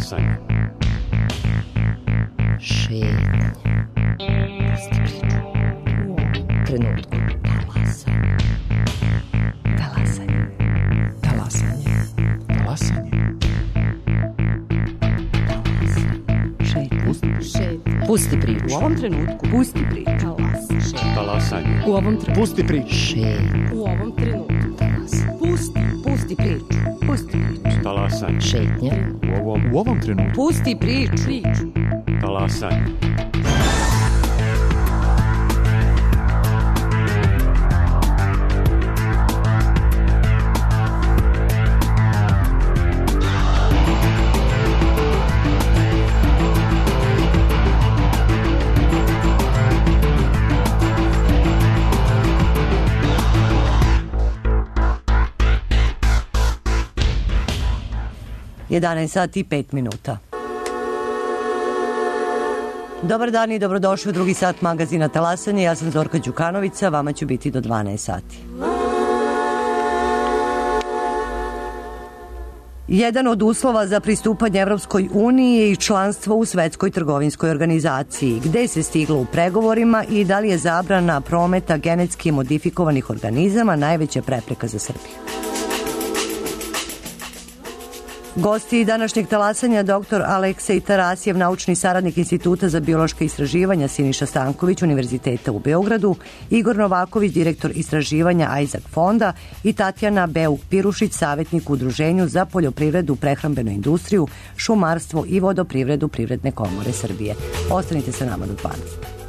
Talasanje. Šetnja. Pusti priču. U ovom trenutku. Talasanje. Talasanje. Talasanje. Talasanje. Pusti priču. U ovom trenutku. Pusti priču. Talasanje. U ovom trenutku. Pusti priču. Šetnja. U ovom trenutku. Pusti priču. Pusti priču. Talasanje. Šetnja. U ovom trenutku. Pusti priču. Talasanje. Sat i 5 minuta. Dobar dan i dobrodošli u drugi sat magazina Talasanje. Ja sam Zorka Đukanovića, vama ću biti do 12 sati. Jedan od uslova za pristupanje Evropskoj uniji je i članstvo u Svetskoj trgovinskoj organizaciji. Gde se stiglo u pregovorima i da li je zabrana prometa genetski modifikovanih organizama najveća prepreka za Srbiju? Gosti današnjeg talasanja dr. Aleksej Tarasijev, naučni saradnik Instituta za biološka istraživanja Siniša Stanković Univerziteta u Beogradu, Igor Novaković, direktor istraživanja Isaac fonda i Tatjana Beuk-Pirušić, savjetnik u Udruženju za poljoprivredu, prehrambenu industriju, šumarstvo i vodoprivredu Privredne komore Srbije. Ostanite sa nama do 12.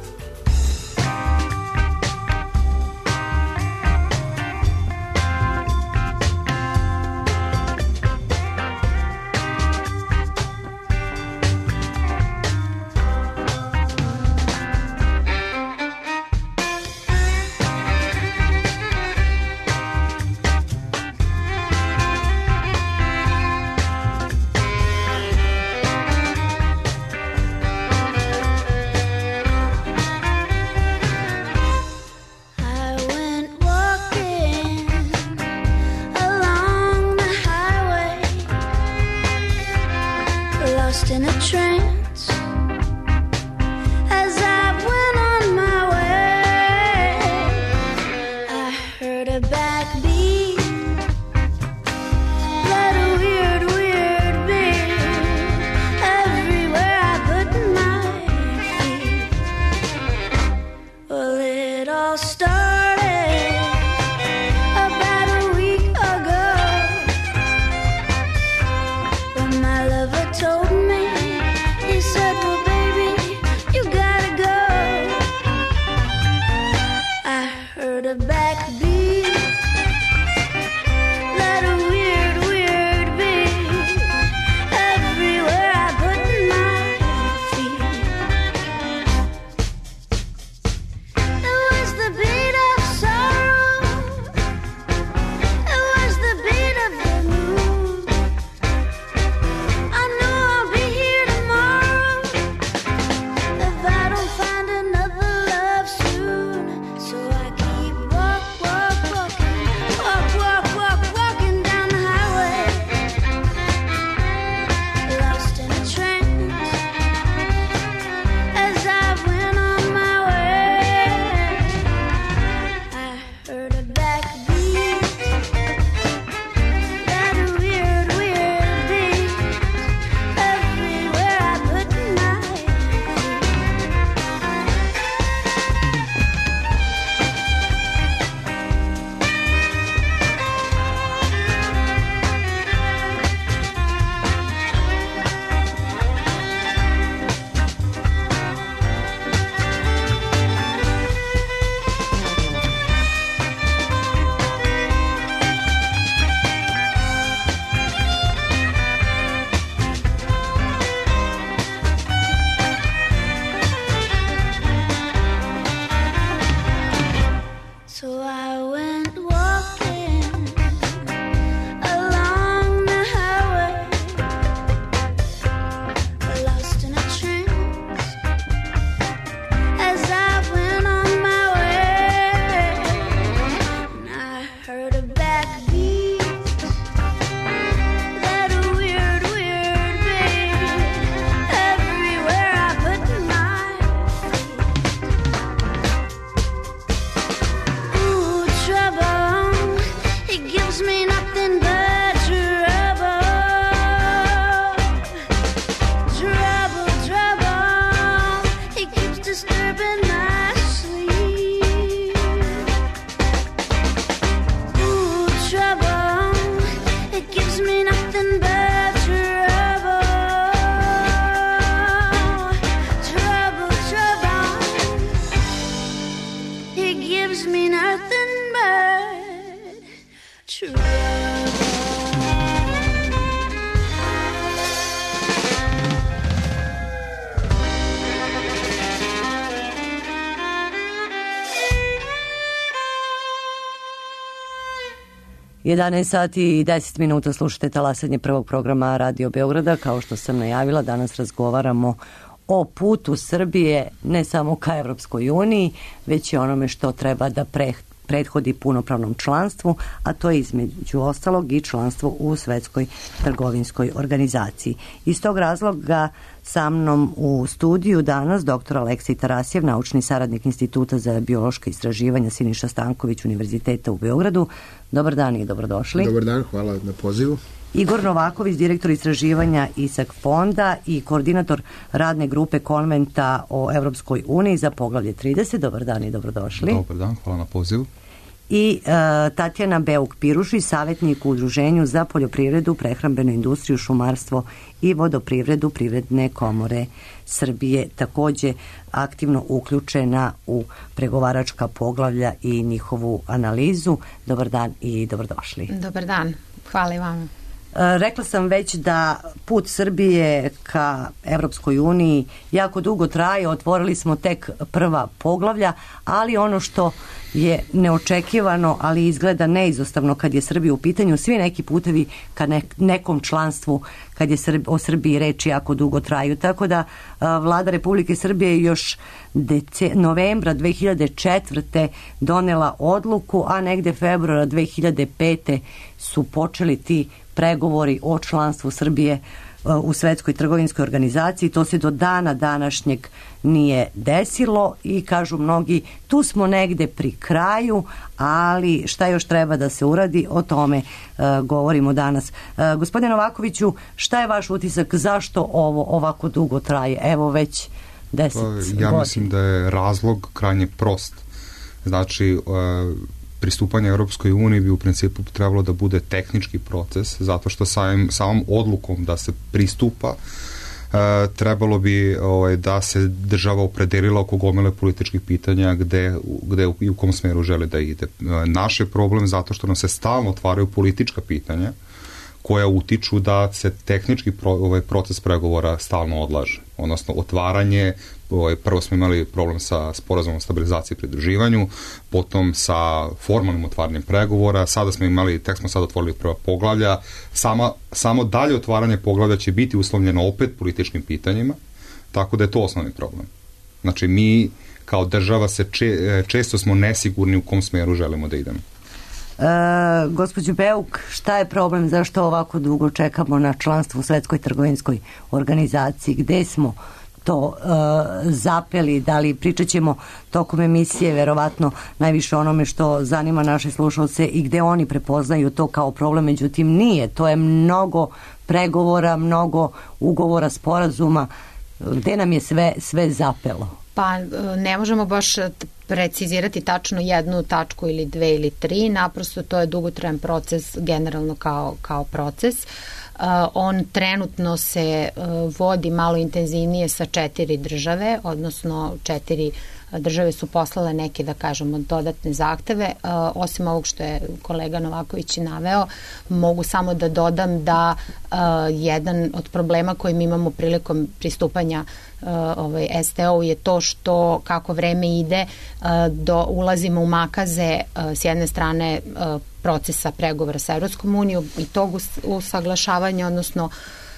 Ču. 11 sati i 10 minuta slušate talasanje prvog programa Radio Beograda. Kao što sam najavila, danas razgovaramo o putu Srbije ne samo ka Evropskoj uniji, već i onome što treba da prethodi punopravnom članstvu, a to je između ostalog i članstvo u Svetskoj trgovinskoj organizaciji. Iz tog razloga sa mnom u studiju danas dr. Aleksej Tarasijev, naučni saradnik Instituta za biološka istraživanja Siniša Stanković Univerziteta u Beogradu. Dobar dan i dobrodošli. Dobar dan, hvala na pozivu. Igor Novaković, direktor istraživanja ISAK fonda i koordinator radne grupe konventa o Evropskoj uniji za poglavlje 30. Dobar dan i dobrodošli. Dobar dan, hvala na pozivu. I Tatjana Beuk-Piruši, savjetnik u Udruženju za poljoprivredu, prehrambenu industriju, šumarstvo i vodoprivredu Privredne komore Srbije, takođe aktivno uključena u pregovaračka poglavlja i njihovu analizu. Dobar dan i dobrodošli. Dobar dan, hvala i vama. Rekla sam već da put Srbije ka Evropskoj uniji jako dugo traje, otvorili smo tek prva poglavlja, ali ono što je neočekivano, ali izgleda neizostavno kad je Srbija u pitanju, svi neki putevi ka nekom članstvu, kad je o Srbiji reči, jako dugo traju. Tako da vlada Republike Srbije još novembra 2004. donela odluku, a negde februara 2005. su počeli ti pregovori o članstvu Srbije u Svetskoj trgovinskoj organizaciji. To se do dana današnjeg nije desilo i kažu mnogi, tu smo negde pri kraju, ali šta još treba da se uradi, o tome govorimo danas. Gospodine Novakoviću, šta je vaš utisak, zašto ovo ovako dugo traje? Evo već 10 godina. Ja mislim da je razlog krajnje prost. Znači, pristupanje Europskoj uniji bi u principu trebalo da bude tehnički proces, zato što samom odlukom da se pristupa trebalo bi da se država opredelila oko gomile političkih pitanja gde i u kom smeru žele da ide. Naš je problem zato što nam se stalno otvaraju politička pitanja koja utiču da se tehnički proces pregovora stalno odlaže. Odnosno, otvaranje, prvo smo imali problem sa sporazumom o stabilizaciji i pridruživanju, potom sa formalnim otvaranjem pregovora, tek smo sad otvorili prva poglavlja, samo dalje otvaranje poglavlja će biti uslovljeno opet političkim pitanjima, tako da je to osnovni problem. Znači, mi kao država često smo nesigurni u kom smeru želimo da idemo. Gospođo Beuk, šta je problem, zašto ovako dugo čekamo na članstvo u Svetskoj trgovinskoj organizaciji, gde smo to zapeli, da li pričat ćemo tokom emisije verovatno najviše onome što zanima naše slušalce i gde oni prepoznaju to kao problem, međutim nije, to je mnogo pregovora, mnogo ugovora, sporazuma, gde nam je sve zapelo? Pa ne možemo baš precizirati tačno jednu tačku ili dve ili tri, naprosto to je dugotrajan proces generalno kao proces. On trenutno se vodi malo intenzivnije sa 4 države, odnosno 4 države su poslale neke, da kažemo, dodatne zahteve. Osim ovog što je kolega Novaković naveo, mogu samo da dodam da jedan od problema koji mi imamo prilikom pristupanja STO je to što kako vreme ide ulazimo u makaze s jedne strane procesa pregovora sa Evropskom unijom i tog usaglašavanja, odnosno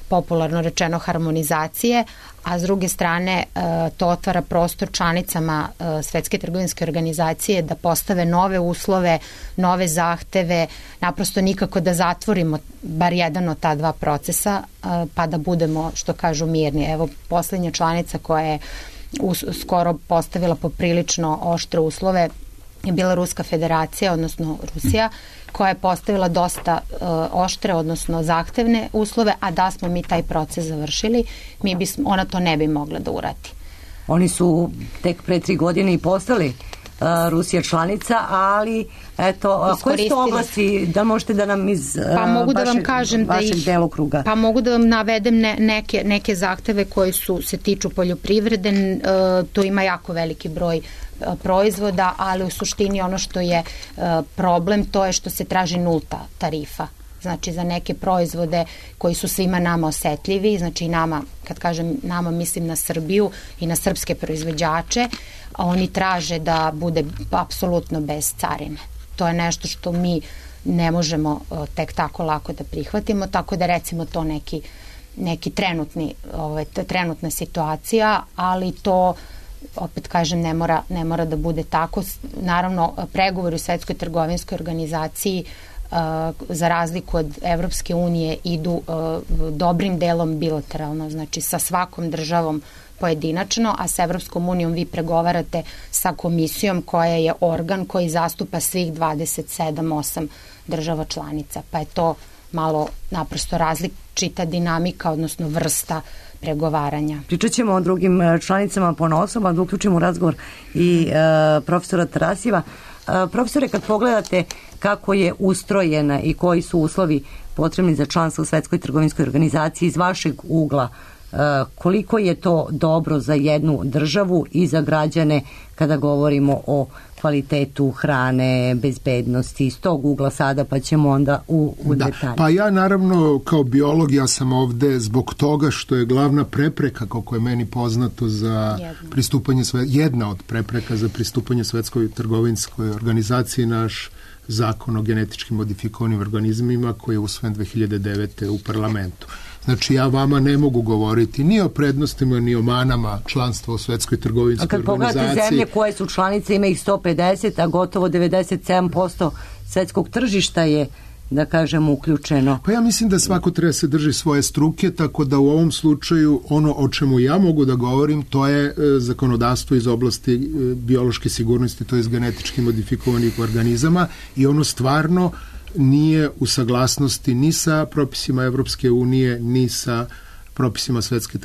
popularno rečeno harmonizacije, a s druge strane to otvara prostor članicama Svetske trgovinske organizacije da postave nove uslove, nove zahteve, naprosto nikako da zatvorimo bar jedan od ta dva procesa, pa da budemo, što kažu, mirni. Evo, poslednja članica koja je skoro postavila poprilično oštre uslove je bila Ruska federacija, odnosno Rusija, koja je postavila dosta oštre, odnosno zahtevne uslove, a da smo mi taj proces završili, ona to ne bi mogla da uradi. Oni su tek pre 3 godine i postali Rusija članica, ali eto, koje su to oblasti, da možete da nam iz mogu da vam kažem vašeg delokruga? Pa mogu da vam navedem neke zahteve koji se tiču poljoprivrede, to ima jako veliki broj proizvoda, ali u suštini ono što je problem, to je što se traži nulta tarifa. Znači za neke proizvode koji su svima nama osetljivi, znači nama, kad kažem nama, mislim na Srbiju i na srpske proizvođače, a oni traže da bude apsolutno bez carine. To je nešto što mi ne možemo tek tako lako da prihvatimo, tako da recimo to neki trenutna situacija, ali to opet kažem ne mora da bude tako. Naravno, pregovori u Svetskoj trgovinskoj organizaciji za razliku od Evropske unije idu dobrim delom bilateralno, znači sa svakom državom pojedinačno, a sa Evropskom unijom vi pregovarate sa komisijom koja je organ koji zastupa svih 27-8 država članica, pa je to malo naprosto različita dinamika, odnosno vrsta pregovaranja. Pričat ćemo o drugim članicama ponosom, a da uključimo u razgovor i profesora Tarasijeva. Profesore, kad pogledate kako je ustrojena i koji su uslovi potrebni za članstvo u Svetskoj trgovinskoj organizaciji iz vašeg ugla, koliko je to dobro za jednu državu i za građane kada govorimo o kvalitetu hrane, bezbednosti, iz tog ugla sada, pa ćemo onda u detalje. Pa ja naravno kao biolog, ja sam ovde zbog toga što je glavna prepreka, kako je meni poznato, za pristupanje, jedna od prepreka za pristupanje Svetskoj trgovinskoj organizaciji, naš zakon o genetički modifikovanim organizmima koji je usvojen 2009. u parlamentu. Znači, ja vama ne mogu govoriti ni o prednostima, ni o manama članstva u Svetskoj trgovinskoj organizaciji. A kad pogledate zemlje koje su članice, ima ih 150, a gotovo 97% svetskog tržišta je, da kažem, uključeno. Pa ja mislim da svako treba se drži svoje struke, tako da u ovom slučaju ono o čemu ja mogu da govorim, to je zakonodavstvo iz oblasti biološke sigurnosti, to je genetički modifikovanih organizama, i ono stvarno nije u saglasnosti ni sa propisima Evropske unije, ni sa propisima Svetske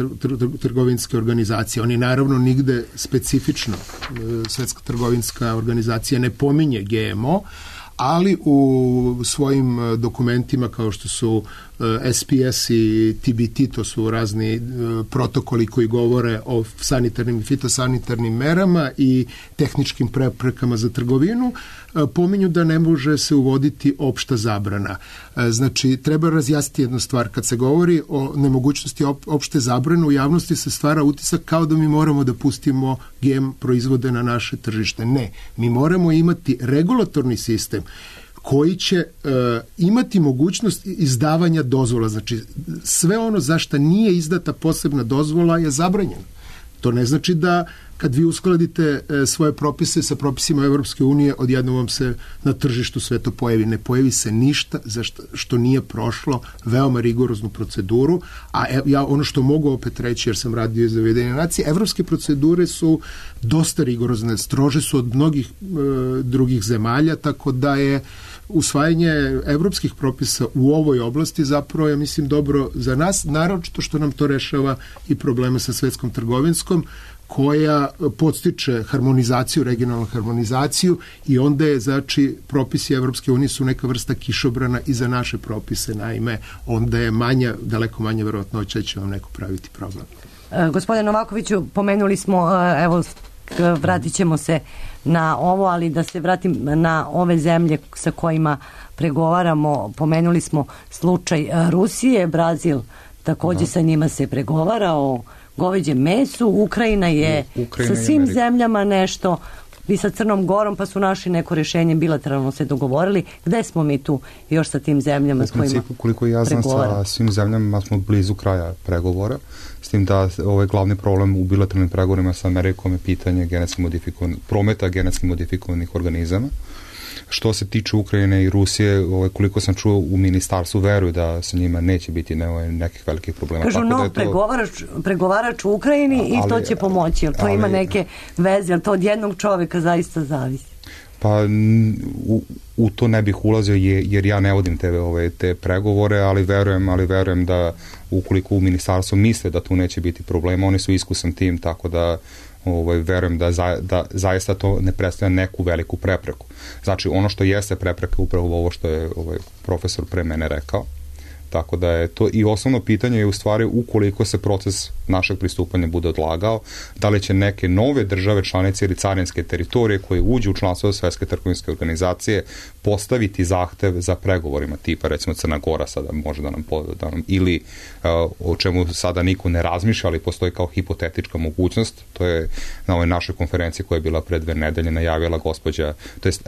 trgovinske organizacije. Oni naravno nigde specifično, Svetska trgovinska organizacija ne pominje GMO, ali u svojim dokumentima kao što su SPS i TBT, to su razni protokoli koji govore o sanitarnim i fitosanitarnim merama i tehničkim preprekama za trgovinu, pominju da ne može se uvoditi opšta zabrana. Znači, treba razjasniti jednu stvar. Kad se govori o nemogućnosti opšte zabrane, u javnosti se stvara utisak kao da mi moramo da pustimo GM proizvode na naše tržište. Ne, mi moramo imati regulatorni sistem koji će imati mogućnost izdavanja dozvola. Znači, sve ono za što nije izdata posebna dozvola je zabranjeno. To ne znači da kad vi uskladite svoje propise sa propisima Evropske unije, odjednom vam se na tržištu sve to pojavi. Ne pojavi se ništa za što nije prošlo veoma rigoroznu proceduru, a ja ono što mogu opet reći, jer sam radio za Ujedinjene nacije, evropske procedure su dosta rigorozne, strože su od mnogih drugih zemalja, tako da je usvajanje evropskih propisa u ovoj oblasti zapravo, ja mislim, dobro za nas, naročito što nam to rešava i probleme sa Svetskom trgovinskom, koja podstiče harmonizaciju, regionalnu harmonizaciju, i onda je, znači, propisi Evropske unije su neka vrsta kišobrana i za naše propise, naime, onda je daleko manja verovatnoća da će vam neko praviti problem. Gospodine Novakoviću, pomenuli smo, evo, vratit ćemo se na ovo, ali da se vratim na ove zemlje sa kojima pregovaramo. Pomenuli smo slučaj Rusije, Brazil, takođe sa njima se pregovara o goveđem mesu. Ukrajina je sa svim zemljama nešto, i sa Crnom Gorom, pa su našli neko rješenje, bilateralno se dogovorili. Gde smo mi tu još sa tim zemljama s kojima pregovaramo? Koliko ja znam, sa svim zemljama smo blizu kraja pregovora, s tim da ovaj glavni problem u bilateralnim pregovorima sa Amerikom je pitanje prometa genetski modifikovanih organizama. Što se tiče Ukrajine i Rusije, koliko sam čuo u ministarstvu, veruju da sa njima neće biti nekih velikih problema. Kažu, pregovarač u Ukrajini i to će pomoći. To ima neke veze, ali to od jednog čoveka zaista zavisi. Pa u to ne bih ulazio jer ja ne vodim te pregovore, ali verujem da ukoliko u ministarstvu misle da tu neće biti problema, oni su iskusan tim, tako da verujem da zaista to ne predstavlja neku veliku prepreku. Znači, ono što jeste prepreka upravo ovo što je profesor pre mene rekao. Tako da je to i osnovno pitanje je u stvari ukoliko se proces našeg pristupanja bude odlagao, da li će neke nove države članice ili carinske teritorije koje uđu u članstvo Svetske trgovinske organizacije postaviti zahtev za pregovorima, tipa recimo Crna Gora sada može da nam ili o čemu sada niko ne razmišlja, ali postoji kao hipotetička mogućnost. To je na ovoj našoj konferenciji koja je bila pre 2 nedelje najavila gospođa, to jest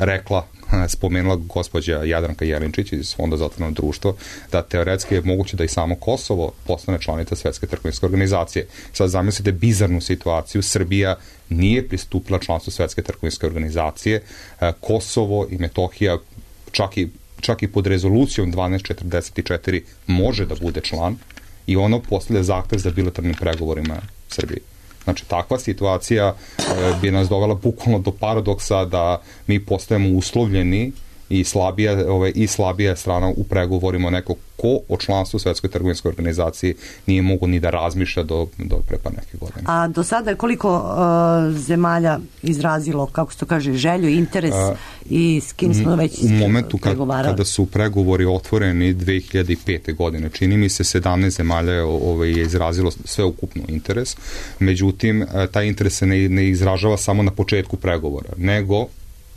spomenula gospođa Jadranka Jelinčić iz Fonda za otvoreno društvo, da teoretski je moguće da i samo Kosovo postane članica Svetske trgovinske organizacije. Sad zamislite bizarnu situaciju, Srbija nije pristupila članstvu Svetske trgovinske organizacije, Kosovo i Metohija čak i pod rezolucijom 1244 može da bude član i ono postavlja zahtev za bilateralnim pregovorima Srbije. Znači, takva situacija bi nas dovela bukvalno do paradoksa da mi postajemo uslovljeni i slabija strana u pregovorima neko ko o članstvu Svetskoj trgovinskoj organizaciji nije mogo ni da razmišlja do pre par neke godine. A do sada je koliko zemalja izrazilo, kako se to kaže, želju, interes i s kim smo već pregovarali? U momentu kada su pregovori otvoreni 2005. godine, čini mi se 17 zemalja je izrazilo sveukupno interes, međutim, taj interes se ne izražava samo na početku pregovora, nego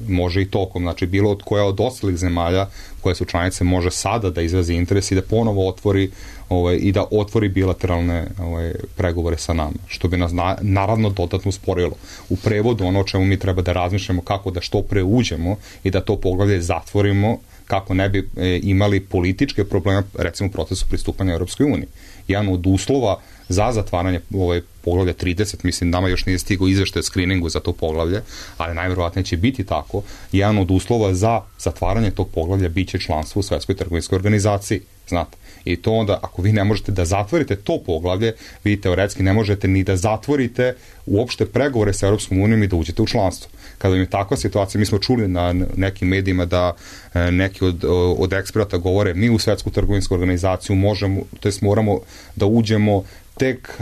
može i tokom, znači bilo od koja od ostalih zemalja koje su članice može sada da izrazi interes i da ponovo otvori i da otvori bilateralne pregovore sa nama, što bi nas naravno dodatno usporilo. U prevodu ono o čemu mi treba da razmišljamo kako da što pre uđemo i da to poglavlje zatvorimo kako ne bi imali političke probleme, recimo u procesu pristupanja Europskoj uniji. Jedan od uslova za zatvaranje poglavlja 30, mislim nama još nije stigao izveštaj o skriningu za to poglavlje, ali najverovatnije će biti tako, jedan od uslova za zatvaranje tog poglavlja biće članstvo u Svetskoj trgovinskoj organizaciji, znate. I to onda, ako vi ne možete da zatvorite to poglavlje, vi teoretski ne možete ni da zatvorite uopšte pregovore sa Europskom unijom i da uđete u članstvo. Kada je takva situacija, mi smo čuli na nekim medijima da neki od eksperata govore mi u Svetsku trgovinsku organizaciju moramo da uđemo tek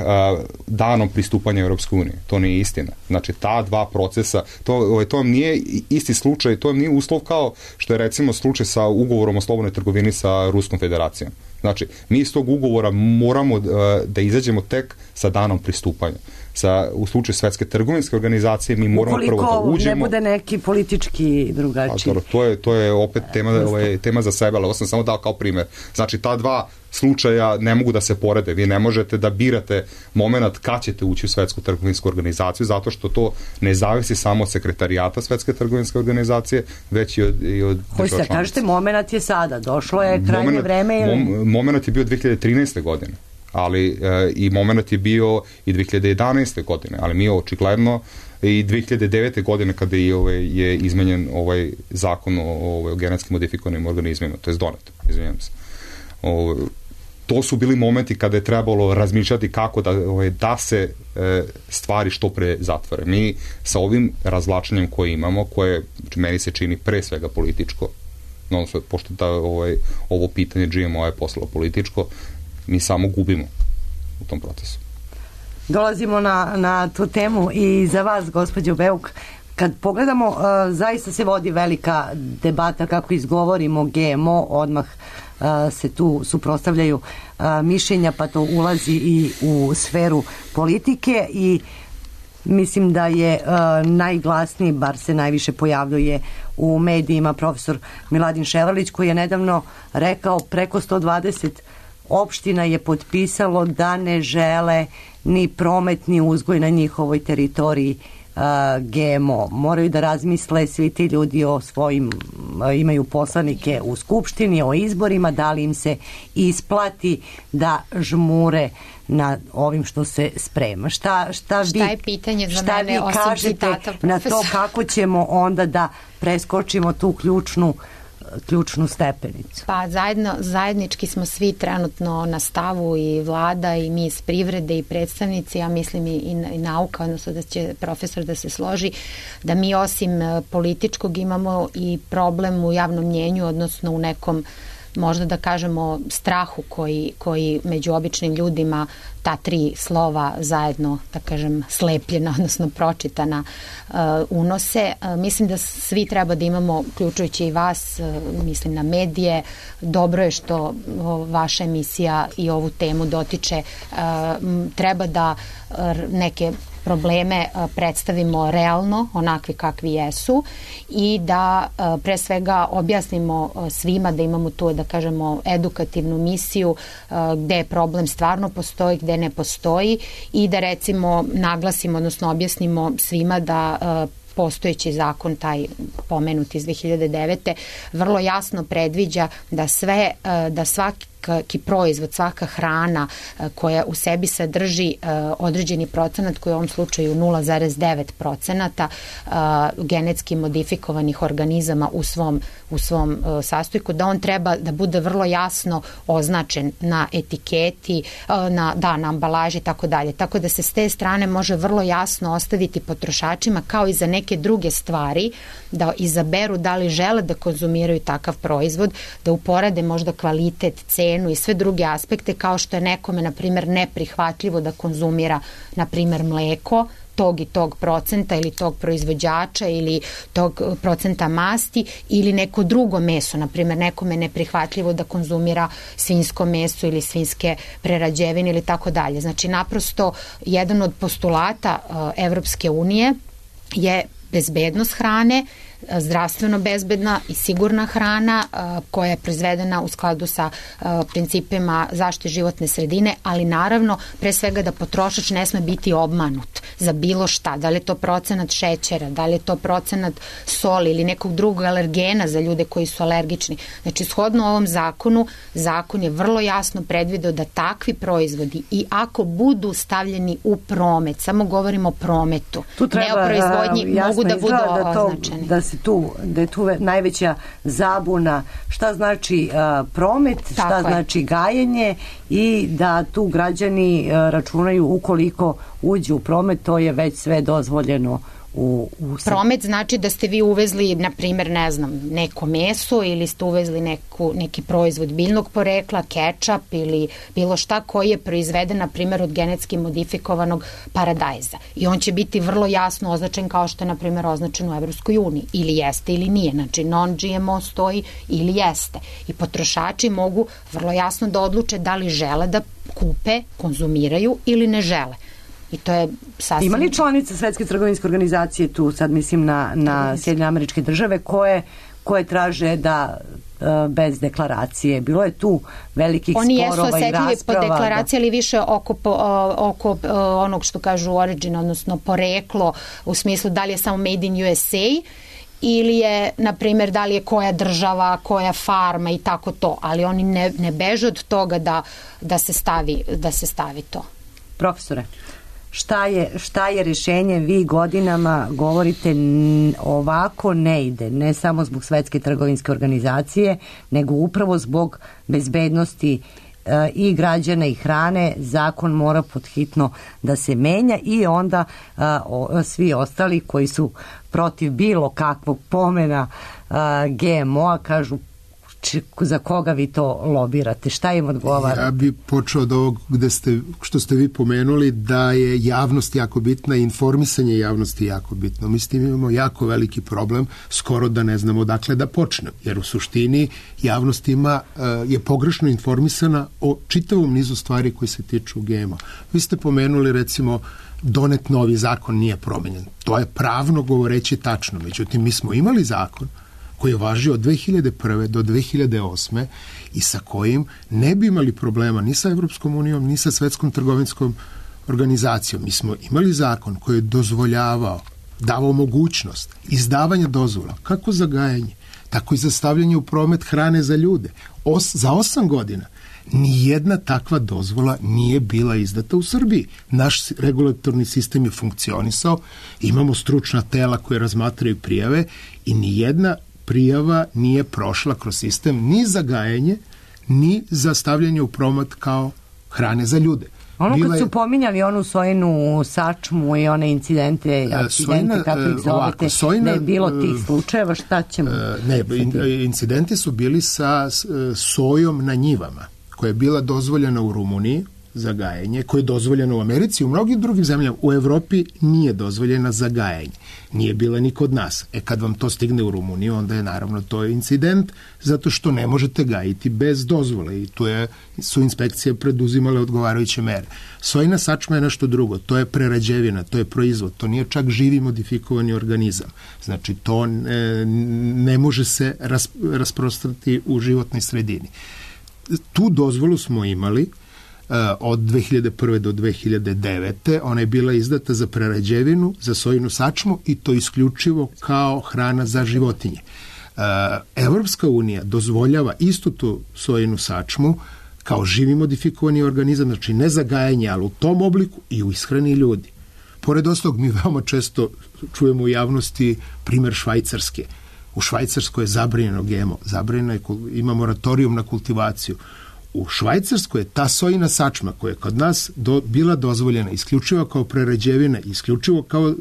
danom pristupanja Europske unije. To nije istina. Znači, ta dva procesa, to vam nije isti slučaj, to vam nije uslov kao što je recimo slučaj sa ugovorom o slobodnoj trgovini sa Ruskom federacijom. Znači, mi iz tog ugovora moramo da izađemo tek sa danom pristupanja. U slučaju Svetske trgovinske organizacije mi moramo prvo da uđemo. Ukoliko ne bude neki politički drugačiji. To je opet tema za sebe, ali ovo sam samo dao kao primjer. Znači, ta dva slučaja ne mogu da se porede. Vi ne možete da birate moment kad ćete ući u Svetsku trgovinsku organizaciju, zato što to ne zavisi samo od sekretarijata Svetske trgovinske organizacije, već i od država članica. Kažete, moment je sada. Došlo je krajnje vreme. Moment je bio 2013. godine. Ali i moment je bio i 2011. godine, ali mi očigledno i 2009. godine kada je izmenjen ovaj zakon o genetski modifikovanim organizmima, to je donet, izvinjam se. To su bili momenti kada je trebalo razmišljati kako da se stvari što pre zatvore. Mi sa ovim razvlačenjem koje imamo, koje meni se čini pre svega političko, pošto ovo pitanje GMO je postalo političko, mi samo gubimo u tom procesu. Dolazimo na tu temu i za vas, gospođo Beuk, kad pogledamo, zaista se vodi velika debata kako izgovorimo GMO, odmah se tu suprotstavljaju mišljenja, pa to ulazi i u sferu politike i mislim da je najglasniji, bar se najviše pojavljuje u medijima, profesor Miladin Ševarlić, koji je nedavno rekao preko 120 opština je potpisalo da ne žele ni promet ni uzgoj na njihovoj teritoriji GMO. Moraju da razmisle svi ti ljudi o svojim, imaju poslanike u skupštini, o izborima, da li im se isplati da žmure na ovim što se sprema. Šta je pitanje za mene osim citata, na to kako ćemo onda da preskočimo tu ključnu stepenicu? Pa zajednički smo svi trenutno na stavu, i vlada i mi iz privrede i predstavnici, ja mislim i nauka, odnosno da će profesor da se složi, da mi osim političkog imamo i problem u javnom mnjenju, odnosno u nekom možda da kažemo strahu koji među običnim ljudima ta 3 slova zajedno, da kažem, slepljena, odnosno pročitana unose. Mislim da svi treba da imamo, uključujući i vas, mislim na medije, dobro je što vaša emisija i ovu temu dotiče. Treba da neke probleme predstavimo realno, onakvi kakvi jesu, i da pre svega objasnimo svima, da imamo tu, da kažemo, edukativnu misiju gde problem stvarno postoji, gde ne postoji, i da recimo naglasimo, odnosno objasnimo svima da postojeći zakon, taj pomenut iz 2009. vrlo jasno predviđa da svaki proizvod, svaka hrana koja u sebi sadrži određeni procenat, koji je u ovom slučaju 0,9% genetski modifikovanih organizama u svom sastojku, da on treba da bude vrlo jasno označen na etiketi, na ambalaži i tako dalje. Tako da se s te strane može vrlo jasno ostaviti potrošačima, kao i za neke druge stvari, da izaberu da li žele da konzumiraju takav proizvod, da uporade možda kvalitet, cenu i sve druge aspekte, kao što je nekome, na primjer, neprihvatljivo da konzumira, na primjer, mleko tog i tog procenta ili tog proizvođača ili tog procenta masti, ili neko drugo meso. Na primjer, nekome je neprihvatljivo da konzumira svinjsko meso ili svinjske prerađevine ili tako dalje. Znači, naprosto, jedan od postulata Evropske unije je bezbednost hrane, zdravstveno bezbedna i sigurna hrana koja je proizvedena u skladu sa principima zaštite životne sredine, ali naravno pre svega da potrošač ne sme biti obmanut za bilo šta, da li je to procenat šećera, da li je to procenat soli ili nekog drugog alergena za ljude koji su alergični. Znači, shodno ovom zakonu, zakon je vrlo jasno predvideo da takvi proizvodi, i ako budu stavljeni u promet, samo govorimo o prometu, ne o proizvodnji, mogu da budu označeni. Da je tu najveća zabuna šta znači promet, šta znači gajenje, i da tu građani računaju ukoliko uđu u promet, to je već sve dozvoljeno. Promet znači da ste vi uvezli, na primjer, ne znam, neko meso, ili ste uvezli neki proizvod biljnog porekla, kečap ili bilo šta koji je proizveden, na primjer, od genetski modifikovanog paradajza. I on će biti vrlo jasno označen kao što je, na primjer, označen u Evropskoj uniji. Ili jeste ili nije. Znači, non-GMO stoji ili jeste. I potrošači mogu vrlo jasno da odluče da li žele da kupe, konzumiraju ili ne žele. I to je sasvim... Ima li članice Svetske trgovinske organizacije, tu sad mislim na Sjedinjene Američke Države, koje traže da bez deklaracije? Bilo je tu velikih sporova i rasprava. Oni jesu osetljivi po deklaraciji, ali više oko onog što kažu origin, odnosno poreklo, u smislu da li je samo made in USA, ili je, na primjer, da li je koja država, koja farma i tako to. Ali oni ne beže od toga da se stavi to. Profesore, šta je rješenje? Vi godinama govorite ovako ne ide, ne samo zbog Svetske trgovinske organizacije, nego upravo zbog bezbednosti i građana i hrane. Zakon mora podhitno da se menja, i onda svi ostali koji su protiv bilo kakvog pomena GMO-a kažu za koga vi to lobirate, šta im odgovara? Ja bi počeo od ovog što ste vi pomenuli, da je javnost jako bitna i informisanje javnosti jako bitno. Mi s tim imamo jako veliki problem, skoro da ne znamo odakle da počne, jer u suštini javnost je pogrešno informisana o čitavom nizu stvari koji se tiču GMO. Vi ste pomenuli, recimo, donet novi zakon nije promenjen. To je pravno govoreći tačno. Međutim, mi smo imali zakon koji je važio od 2001. do 2008. i sa kojim ne bi imali problema ni sa Evropskom unijom, ni sa Svetskom trgovinskom organizacijom. Mi smo imali zakon koji je dozvoljavao, davao mogućnost izdavanja dozvola, kako za gajanje, tako i za stavljanje u promet hrane za ljude. Za 8 godina nijedna takva dozvola nije bila izdata u Srbiji. Naš regulatorni sistem je funkcionisao, imamo stručna tela koje razmatraju prijave i nijedna prijava nije prošla kroz sistem ni za gajanje, ni za stavljanje u promet kao hrane za ljude. Ono kad su pominjali onu Sojinu sačmu i one incidente, kako ih zovete, da je bilo tih slučajeva, šta ćemo? Incidenti su bili sa sojom na njivama, koja je bila dozvoljena u Rumuniji za gajenje, koja je dozvoljena u Americi, u mnogim drugim zemljama. U Evropi nije dozvoljena za gajenje. Nije bila ni kod nas. Kad vam to stigne u Rumuniju, onda je naravno to incident, zato što ne možete gajiti bez dozvole i tu su inspekcije preduzimale odgovarajuće mere. Sojina sačma je nešto drugo. To je prerađevina, to je proizvod. To nije čak živi modifikovani organizam. Znači, to ne može se rasprostrati u životnoj sredini. Tu dozvolu smo imali od 2001. do 2009. Ona je bila izdata za prerađevinu, za sojinu sačmu i to isključivo kao hrana za životinje. Evropska unija dozvoljava istu tu sojinu sačmu kao živi modifikovani organizam, znači ne za gajanje, ali u tom obliku i u ishrani ljudi. Pored ostalog, mi veoma često čujemo u javnosti primer Švajcarske. U Švajcarskoj je zabranjeno GMO, zabranjeno je, ima moratorijum na kultivaciju. U Švajcarskoj je ta sojina sačma koja je kod nas bila dozvoljena isključivo kao prerađevina, isključivo kao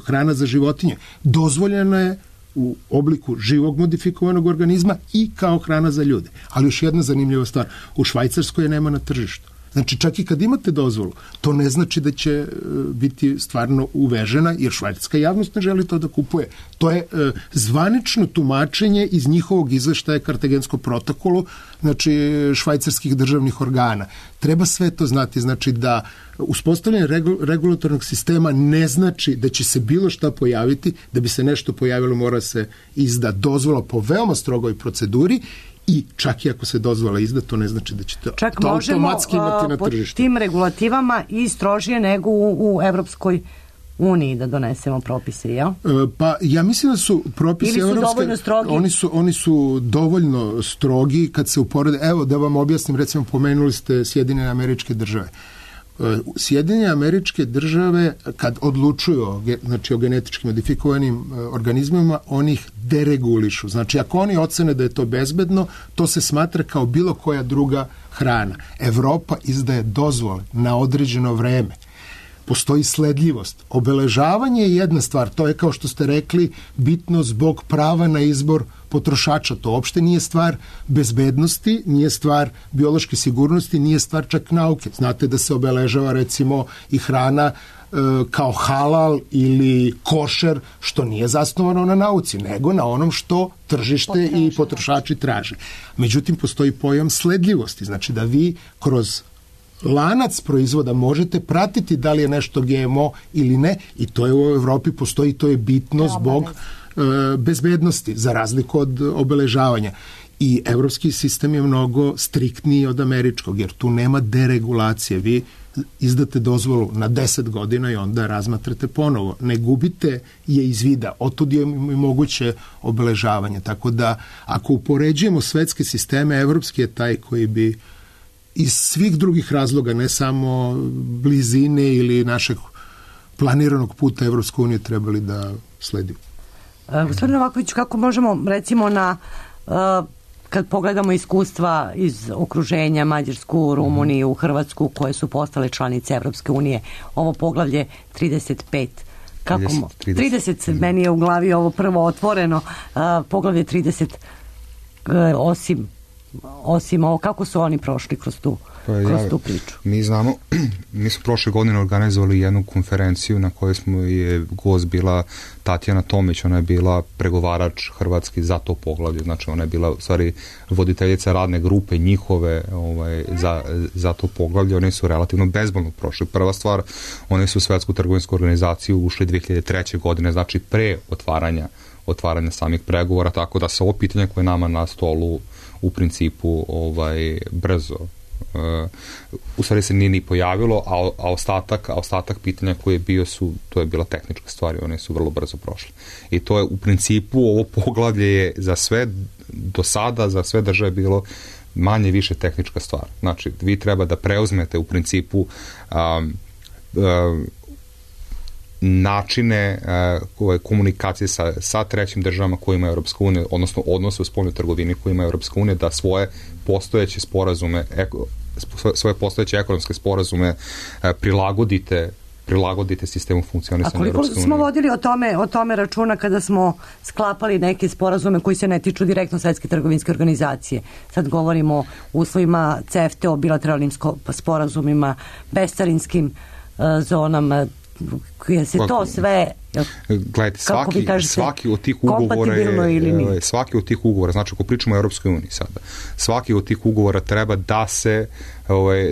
hrana za životinje, dozvoljena je u obliku živog modifikovanog organizma i kao hrana za ljude. Ali još jedna zanimljiva stvar, u Švajcarskoj je nema na tržištu. Znači, čak i kad imate dozvolu, to ne znači da će biti stvarno uvežena, jer švajcarska javnost ne želi to da kupuje. To je zvanično tumačenje iz njihovog izveštaja Kartagenskom protokolu, znači švajcarskih državnih organa. Treba sve to znati, znači da uspostavljanje regulatornog sistema ne znači da će se bilo šta pojaviti, da bi se nešto pojavilo mora se izda dozvola po veoma strogoj proceduri. I čak i ako se dozvola izda, to ne znači da će to automatski imati na tržištu. Čak možemo pod tim regulativama i strožije nego u Evropskoj uniji da donesemo propise, jel? Pa ja mislim da su propisi evropske... Ili su dovoljno strogi? Oni su dovoljno strogi kad se uporede. Evo da vam objasnim, recimo pomenuli ste Sjedinjene Američke Države. Sjedinjene Američke Države kad odlučuju znači, o genetički modifikovanim organizmima, oni ih deregulišu. Znači, ako oni ocene da je to bezbedno, to se smatra kao bilo koja druga hrana. Evropa izdaje dozvole na određeno vreme. Postoji sledljivost. Obeležavanje je jedna stvar, to je kao što ste rekli bitno zbog prava na izbor potrošača. To uopšte nije stvar bezbednosti, nije stvar biološke sigurnosti, nije stvar čak nauke. Znate da se obeležava recimo i hrana kao halal ili košer, što nije zasnovano na nauci, nego na onom što tržište i potrošači traže. Međutim, postoji pojam sledljivosti, znači da vi kroz lanac proizvoda možete pratiti da li je nešto GMO ili ne i to je u Evropi postoji, to je bitno zbog bezbednosti, za razliku od obeležavanja. I evropski sistem je mnogo striktniji od američkog, jer tu nema deregulacije. Vi izdate dozvolu na 10 godina i onda razmatrate ponovo. Ne gubite je iz vida. Otud je moguće obeležavanje. Tako da, ako upoređujemo svetske sisteme, evropski je taj koji bi iz svih drugih razloga, ne samo blizine ili našeg planiranog puta Evropske unije trebali da sledimo. Gospodin Novaković, kako možemo recimo kad pogledamo iskustva iz okruženja Mađarsku, Rumuniju, Hrvatsku, koje su postale članice Evropske unije, ovo poglavlje 35, 30 meni je u glavi ovo prvo otvoreno, poglavlje 30, osim ovo, kako su oni prošli kroz tu priču? Mi znamo, mi smo prošle godine organizovali jednu konferenciju na kojoj je gost bila Tatjana Tomić, ona je bila pregovarač hrvatski za to poglavlje, znači ona je bila u stvari voditeljica radne grupe njihove za to poglavlje, oni su relativno bezbolno prošli. Prva stvar, oni su u Svetsku trgovinsku organizaciju ušli 2003. godine, znači pre otvaranja samih pregovora, tako da se ovo pitanje koje je nama na stolu u principu brzo u stvari se nije ni pojavilo, a ostatak pitanja koje je bio to je bila tehnička stvar i one su vrlo brzo prošle. I to je u principu, ovo poglavlje je za sve do sada, za sve države bilo manje više tehnička stvar. Znači, vi treba da preuzmete u principu načine komunikacije sa trećim državama koje ima Evropska unija, odnosno odnose u spoljnoj trgovini koje ima Evropska unija, da svoje postojeće sporazume svoje postojeće ekonomske sporazume prilagodite sistemu funkcionisanja Europske unije. A koliko smo vodili o tome računa kada smo sklapali neke sporazume koji se ne tiču direktno Svetske trgovinske organizacije? Sad govorimo o uslovima CEFTA, o bilateralnim sporazumima, bescarinskim zonama, koje se to sve... Gledajte, svaki od tih ugovora, znači ako pričamo o Europskoj uniji sada, svaki od tih ugovora treba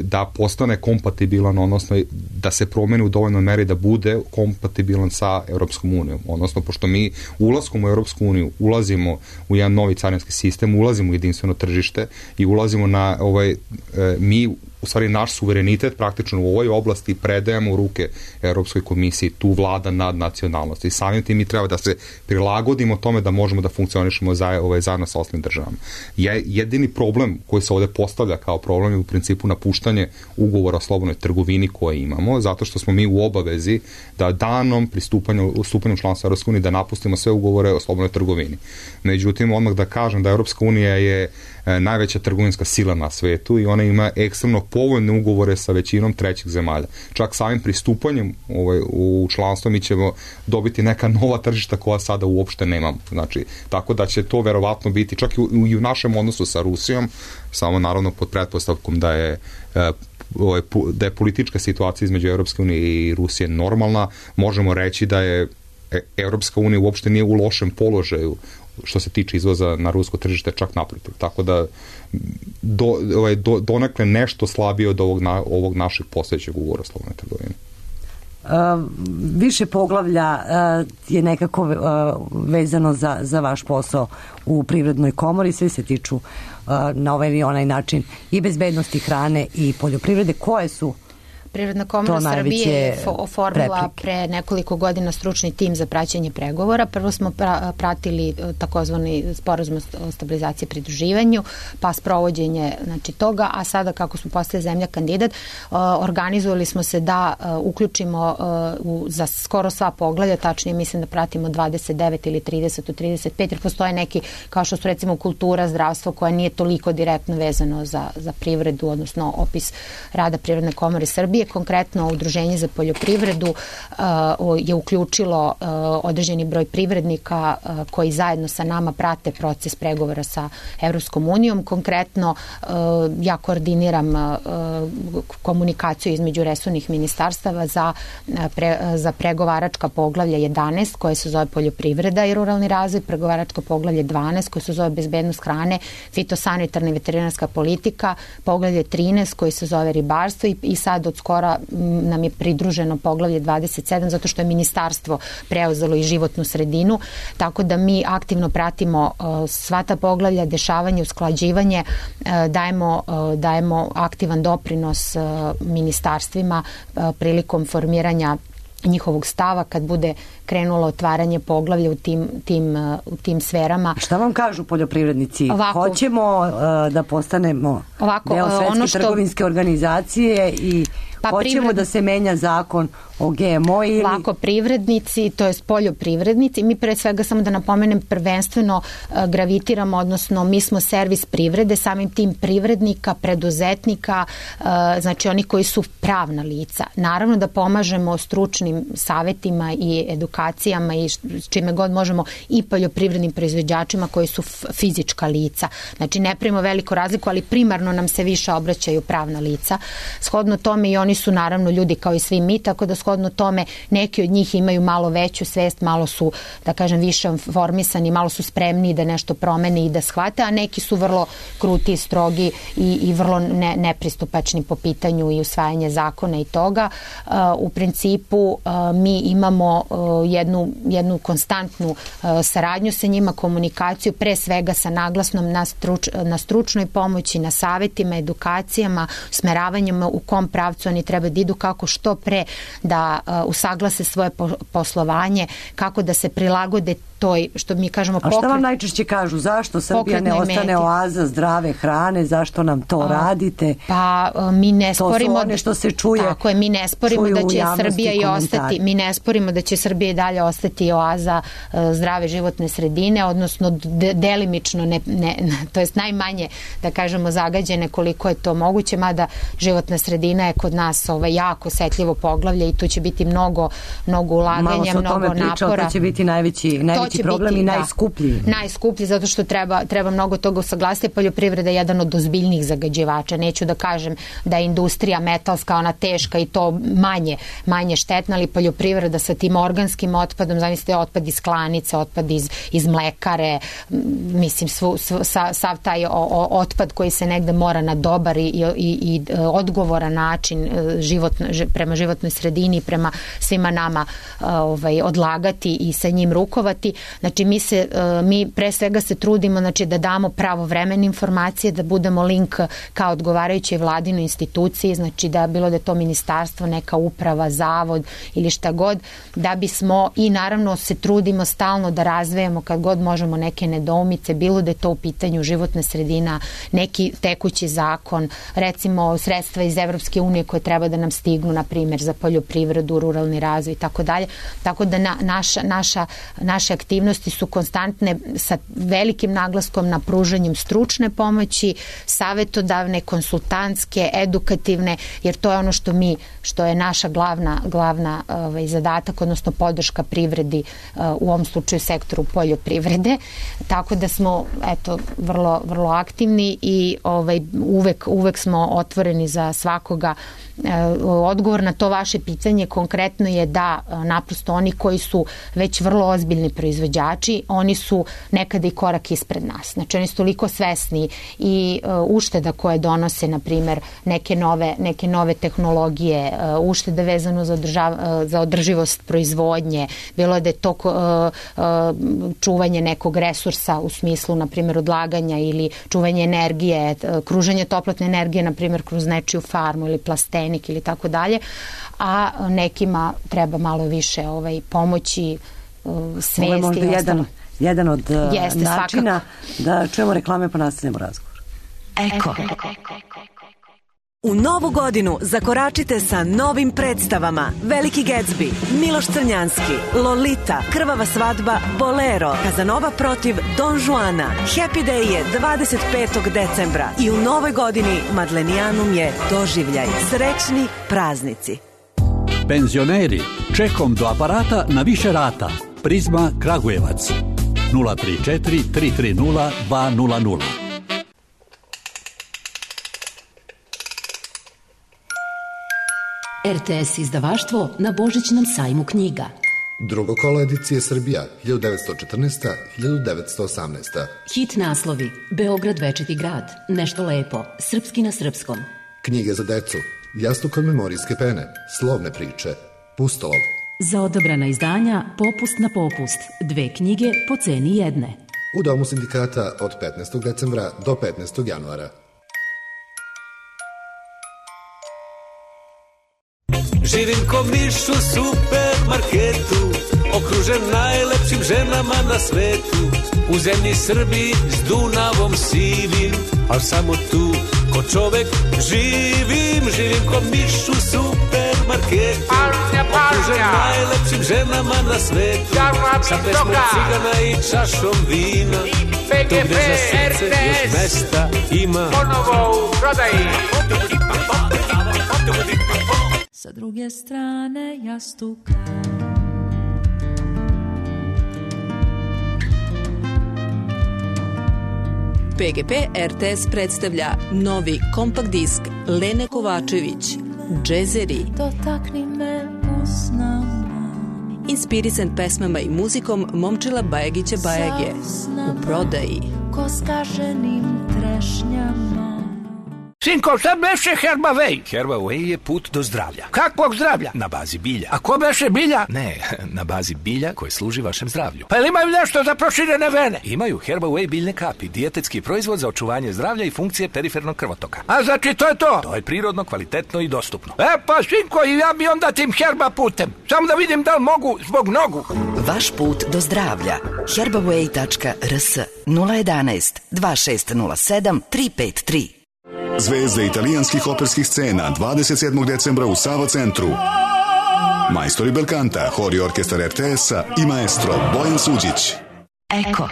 da postane kompatibilan, odnosno da se promeni u dovoljnoj meri da bude kompatibilan sa Europskom unijom. Odnosno, pošto mi ulaskom u Europsku uniju ulazimo u jedan novi carinski sistem, ulazimo u jedinstveno tržište i ulazimo mi u stvari naš suverenitet praktično u ovoj oblasti predajemo u ruke Europskoj komisiji, tu vlada nad nacionalnosti. I samim tim mi treba da se prilagodimo tome da možemo da funkcionišemo zajedno sa ostalim državama. Jedini problem koji se ovde postavlja kao problem je u principu napuštanje ugovora o slobodnoj trgovini koje imamo, zato što smo mi u obavezi da danom stupanju članstva Europske unije da napustimo sve ugovore o slobodnoj trgovini. Međutim, odmah da kažem da Europska unija je najveća trgovinska sila na svetu i ona ima ekstremno povoljne ugovore sa većinom trećih zemalja. Čak samim pristupanjem u članstvo mi ćemo dobiti neka nova tržišta koja sada uopšte nemamo. Znači, tako da će to verovatno biti čak i u našem odnosu sa Rusijom, samo naravno pod pretpostavkom da je politička situacija između Europske unije i Rusije normalna, možemo reći da je Europska unija uopšte nije u lošem položaju što se tiče izvoza na rusko tržište, čak naprotiv. Tako da donekle nešto slabije od ovog našeg postojećeg ugovora o slobodnoj trgovini. Više poglavlja je nekako vezano za vaš posao u Privrednoj komori, sve se tiču na ovaj ili onaj način i bezbednosti hrane i poljoprivrede. Koje su Privredna komora Srbije je oformila pre nekoliko godina stručni tim za praćenje pregovora. Prvo smo pratili takozvani sporazum o stabilizaciji i pridruživanju, pa sprovođenje toga, a sada kako smo postali zemlja kandidat, organizovali smo se da uključimo za skoro sva poglavlja, tačnije mislim da pratimo 29 ili 30 od 35, jer postoje neki, kao što su recimo kultura, zdravstvo, koja nije toliko direktno vezano za privredu, odnosno opis rada Privredne komore Srbije. Konkretno Udruženje za poljoprivredu je uključilo određeni broj privrednika koji zajedno sa nama prate proces pregovora sa Evropskom unijom. Konkretno ja koordiniram komunikaciju između resornih ministarstava za pregovaračka poglavlja 11 koje se zove poljoprivreda i ruralni razvoj, pregovaračko poglavlje 12 koje se zove bezbednost hrane, fitosanitarna i veterinarska politika, poglavlje 13 koji se zove ribarstvo i sad od skora nam je pridruženo poglavlje 27 zato što je ministarstvo preuzelo i životnu sredinu, tako da mi aktivno pratimo sva ta poglavlja, dešavanje, usklađivanje, dajemo aktivan doprinos ministarstvima prilikom formiranja njihovog stava kad bude krenulo otvaranje poglavlja u tim sferama. Šta vam kažu poljoprivrednici? Hoćemo da postanemo deo Svetske trgovinske organizacije i hoćemo da se menja zakon o GMO ili... Ovako, privrednici, to je poljoprivrednici, mi pre svega samo da napomenem prvenstveno gravitiramo, odnosno mi smo servis privrede, samim tim privrednika, preduzetnika, znači oni koji su pravna lica. Naravno da pomažemo stručnim savetima i edukacijama i čime god možemo i poljoprivrednim proizvođačima koji su fizička lica. Znači ne pravimo veliku razliku, ali primarno nam se više obraćaju pravna lica. Shodno tome i oni su naravno ljudi kao i svi mi, tako da shodno tome neki od njih imaju malo veću svest, malo su, da kažem, više formisani, malo su spremni da nešto promene i da shvate, a neki su vrlo kruti, strogi i vrlo nepristupačni po pitanju i usvajanje zakona i toga. U principu mi imamo jednu konstantnu saradnju sa njima, komunikaciju, pre svega sa naglasnom na stručnoj pomoći, na savetima, edukacijama, smeravanjima u kom pravcu oni treba da idu, kako što pre da usaglase svoje poslovanje, kako da se prilagode toj, što mi kažemo, A šta vam najčešće kažu? Zašto Srbija ne ostane oaza zdrave hrane? Zašto nam to radite? Pa mi ne sporimo... To su one što se čuje. Tako je, mi ne sporimo da će Srbija i ostati, mi ne sporimo da će Srbija i dalje ostati oaza zdrave životne sredine, odnosno delimično, to jest najmanje, da kažemo, zagađene koliko je to moguće, mada životna sredina je kod nas jako osetljivo poglavlje i tu će biti mnogo ulaganja, mnogo napora. To će biti najveći problem i najskuplji. Najskuplji, zato što treba mnogo toga usaglasiti. Poljoprivreda je jedan od ozbiljnijih zagađivača. Neću da kažem da je industrija metalska, ona teška i to manje štetna, ali poljoprivreda sa tim organskim otpadom, zamislite otpad iz klanice, otpad iz mlekare, mislim sav taj otpad koji se negde mora na dobar i odgovoran način prema životnoj sredini, prema svima nama odlagati i sa njim rukovati. Znači mi pre svega se trudimo da damo pravovremene informacije, da budemo link kao odgovarajućoj vladinoj instituciji, znači da bilo da je to ministarstvo, neka uprava, zavod ili šta god, da bismo i naravno se trudimo stalno da razvijamo kad god možemo neke nedoumice, bilo da je to u pitanju životna sredina, neki tekući zakon, recimo sredstva iz Evropske unije koje treba da nam stignu, na primjer za poljoprivredu, ruralni razvoj i tako dalje. Tako da naše aktivnosti su konstantne sa velikim naglaskom na pružanjem stručne pomoći, savetodavne, konsultantske, edukativne, jer to je ono što je naša glavna zadatak, odnosno podrška privredi, u ovom slučaju sektoru poljoprivrede. Tako da smo vrlo, vrlo aktivni i uvek smo otvoreni za svakoga. Odgovor na to vaše pitanje konkretno je da naprosto oni koji su već vrlo ozbiljni proizvođači, oni su nekada i korak ispred nas. Znači oni su toliko svesni i ušteda koje donose, na primjer, neke nove tehnologije, uštede vezano za održivost proizvodnje, bilo da je to čuvanje nekog resursa u smislu, na primjer, odlaganja ili čuvanje energije, kruženje toplotne energije, na primjer, kroz nečiju farmu ili plastenik ili tako dalje, a nekima treba malo više pomoći, svesti. Ovo je možda jedan od načina da čujemo reklame pa nastavljamo razgovor. Eko. U novu godinu zakoračite sa novim predstavama Veliki Gatsby, Miloš Crnjanski, Lolita, Krvava svadba, Bolero, Kazanova protiv Don Juana. Happy Day je 25. decembra i u novoj godini Madlenijanum je doživljaj. Srećni praznici. Penzioneri, čekom do aparata na više rata. Prizma Kragujevac 034 330 200. RTS izdavaštvo na Božićnom sajmu knjiga. Drugo kolo edicije Srbija 1914-1918. Hit naslovi: Beograd večiti grad, Nešto lepo, Srpski na srpskom. Knjige za decu, Jastuk od memorijske pene, Slovne priče, Pustolov. Za odabrana izdanja Popust na popust, 2 knjige po ceni jedne. U Domu sindikata od 15. decembra do 15. januara. Živim ko miš u supermarketu, okružen najlepšim ženama na svetu. U zemlji Srbiji s Dunavom sivim, al samo tu ko čovek živim. Živim ko miš u supermarketu, okružen najlepšim ženama na svetu. Sa pesmom cigana i čašom vina, tu gde za srce još mesta ima. Ponovo u prodaji. Sa druge strane jastuka. PGP RTS predstavlja novi kompakt disk Lene Kovačević, Džezeri. Dotakni me usnama. Inspirisan pesmama i muzikom Momčila Bajagića Bajage. U prodaji. Ko skaženim trešnjama. Sinko, šta beše Herba Way? Herba Way je put do zdravlja. Kakvog zdravlja? Na bazi bilja. A ko beše bilja? Ne, na bazi bilja koje služi vašem zdravlju. Pa ili imaju nešto za proširene vene? Imaju Herba Way biljne kapi, dijetetski proizvod za očuvanje zdravlja i funkcije perifernog krvotoka. A znači to je to? To je prirodno, kvalitetno i dostupno. Pa Sinko, i ja bi onda tim Herba putem. Samo da vidim da li mogu zbog nogu. Vaš put do zdravlja. herbaway.rs 011 2607 353. Zvezde italijanskih operskih scena 27. decembra u Sava centru. Majstori Belkanta, hor i orkestar RTS-a i maestro Bojan Suđić. Eko.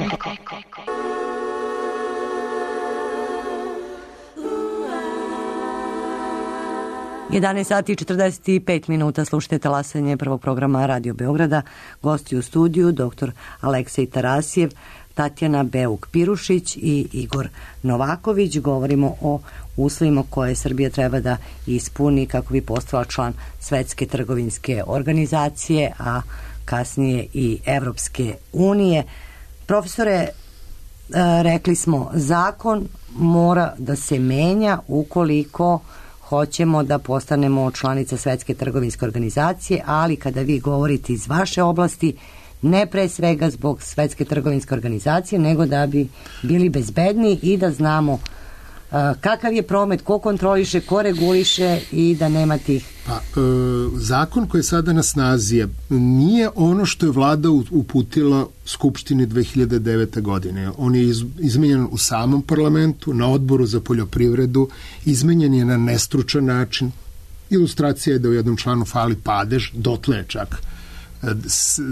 Jedanaest sati i 45 minuta, slušajte talasanje prvog programa Radio Beograda. Gosti u studiju dr. Aleksej Tarasijev, Tatjana Beuk-Pirušić i Igor Novaković. Govorimo o uslovima koje Srbija treba da ispuni kako bi postala član Svetske trgovinske organizacije, a kasnije i Evropske unije. Profesore, rekli smo, zakon mora da se menja ukoliko hoćemo da postanemo članica Svetske trgovinske organizacije, ali kada vi govorite iz vaše oblasti, ne pre svega zbog Svetske trgovinske organizacije, nego da bi bili bezbedni i da znamo kakav je promet, ko kontroliše, ko reguliše i da nema tih. Zakon koji je sada na snazi nije ono što je vlada uputila Skupštini 2009. godine. On je izmenjen u samom parlamentu, na odboru za poljoprivredu, izmenjen je na nestručan način. Ilustracija je da u jednom članu fali padež, dotle je čak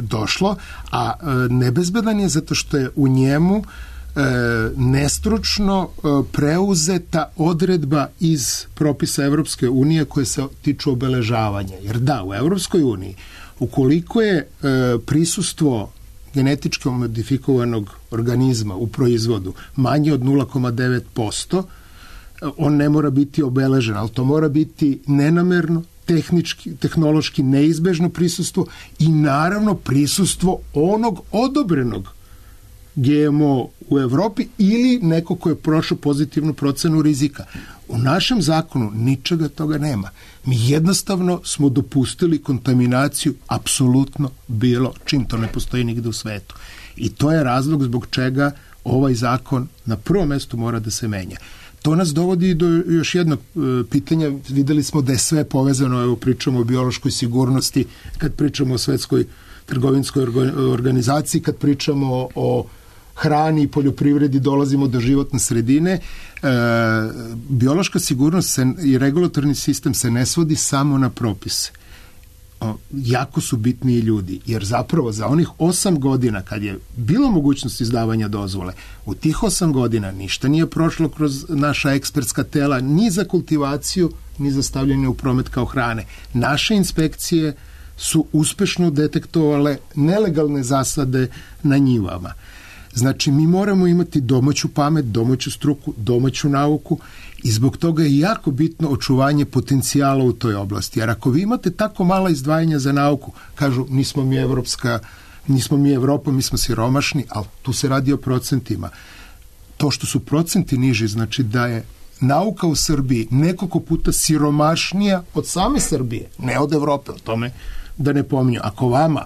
došlo, a nebezbedan je zato što je u njemu nestručno preuzeta odredba iz propisa Evropske unije koje se tiču obeležavanja. Jer da, u Evropskoj uniji, ukoliko je prisustvo genetički modifikovanog organizma u proizvodu manje od 0,9%, on ne mora biti obeležen, ali to mora biti nenamerno, tehnološki neizbežno prisustvo i naravno prisustvo onog odobrenog GMO u Evropi ili neko ko je prošao pozitivnu procenu rizika. U našem zakonu ničega toga nema. Mi jednostavno smo dopustili kontaminaciju apsolutno bilo čim, to ne postoji nigde u svetu. I to je razlog zbog čega ovaj zakon na prvom mestu mora da se menja. To nas dovodi do još jednog pitanja. Videli smo da je sve povezano, evo pričamo o biološkoj sigurnosti, kad pričamo o Svetskoj trgovinskoj organizaciji, kad pričamo o hrani i poljoprivredi, dolazimo do životne sredine. Biološka sigurnost i regulatorni sistem se ne svodi samo na propise. Jako su bitni i ljudi, jer zapravo za onih 8 godina kad je bilo mogućnost izdavanja dozvole, u tih 8 godina ništa nije prošlo kroz naša ekspertska tela, ni za kultivaciju, ni za stavljanje u promet kao hrane. Naše inspekcije su uspešno detektovale nelegalne zasade na njivama. Znači, mi moramo imati domaću pamet, domaću struku, domaću nauku i zbog toga je jako bitno očuvanje potencijala u toj oblasti. Jer ako vi imate tako mala izdvajanja za nauku, kažu nismo mi Evropa, mi smo siromašni, ali tu se radi o procentima. To što su procenti niži, znači da je nauka u Srbiji nekoliko puta siromašnija od same Srbije, ne od Evrope, o tome da ne pominju. Ako vama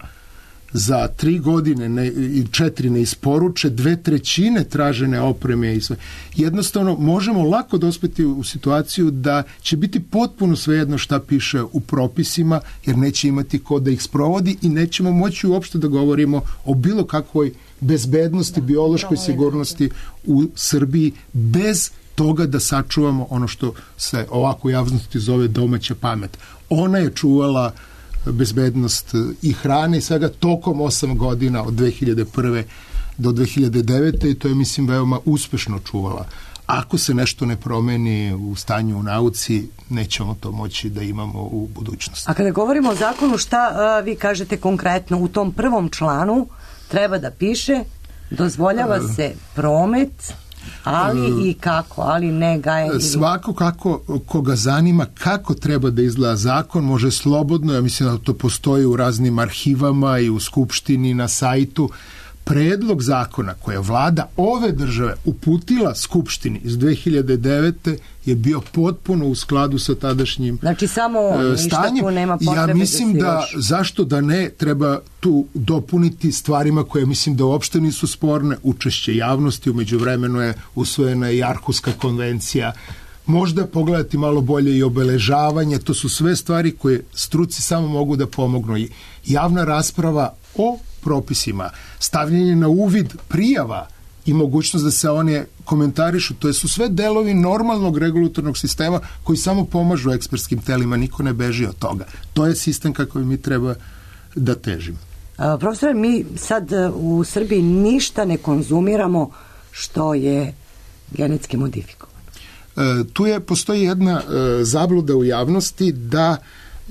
za 3 godine i 4 ne isporuče 2/3 tražene opreme i sve, jednostavno možemo lako dospeti u situaciju da će biti potpuno svejedno šta piše u propisima, jer neće imati ko da ih sprovodi i nećemo moći uopšte da govorimo o bilo kakvoj bezbednosti, biološkoj sigurnosti u Srbiji bez toga da sačuvamo ono što se ovako u javnosti zove domaća pamet. Ona je čuvala bezbednost i hrane i svega tokom 8 godina od 2001. do 2009. i to je, mislim, veoma uspešno čuvala. Ako se nešto ne promeni u stanju u nauci, nećemo to moći da imamo u budućnosti. A kada govorimo o zakonu, šta vi kažete konkretno? U tom prvom članu treba da piše dozvoljava se promet, ali i kako, ali ne gajenje. Svako koga zanima kako treba da izgleda zakon, može slobodno, ja mislim da to postoji u raznim arhivama i u Skupštini, na sajtu, predlog zakona koje je vlada ove države uputila Skupštini iz 2009. je bio potpuno u skladu sa tadašnjim znači samo stanjem. Nema ja mislim da zašto da ne treba tu dopuniti stvarima koje mislim da uopšte nisu sporne, učešće javnosti, u međuvremenu je usvojena i Arhuska konvencija, možda pogledati malo bolje i obeležavanje, to su sve stvari koje struci samo mogu da pomognu. I javna rasprava o propisima, stavljanje na uvid prijava i mogućnost da se one komentarišu, to su sve delovi normalnog regulatornog sistema koji samo pomažu ekspertskim telima, niko ne beži od toga. To je sistem kako mi treba da težimo. Profesore, mi sad u Srbiji ništa ne konzumiramo što je genetski modifikovano. Tu postoji jedna zabluda u javnosti da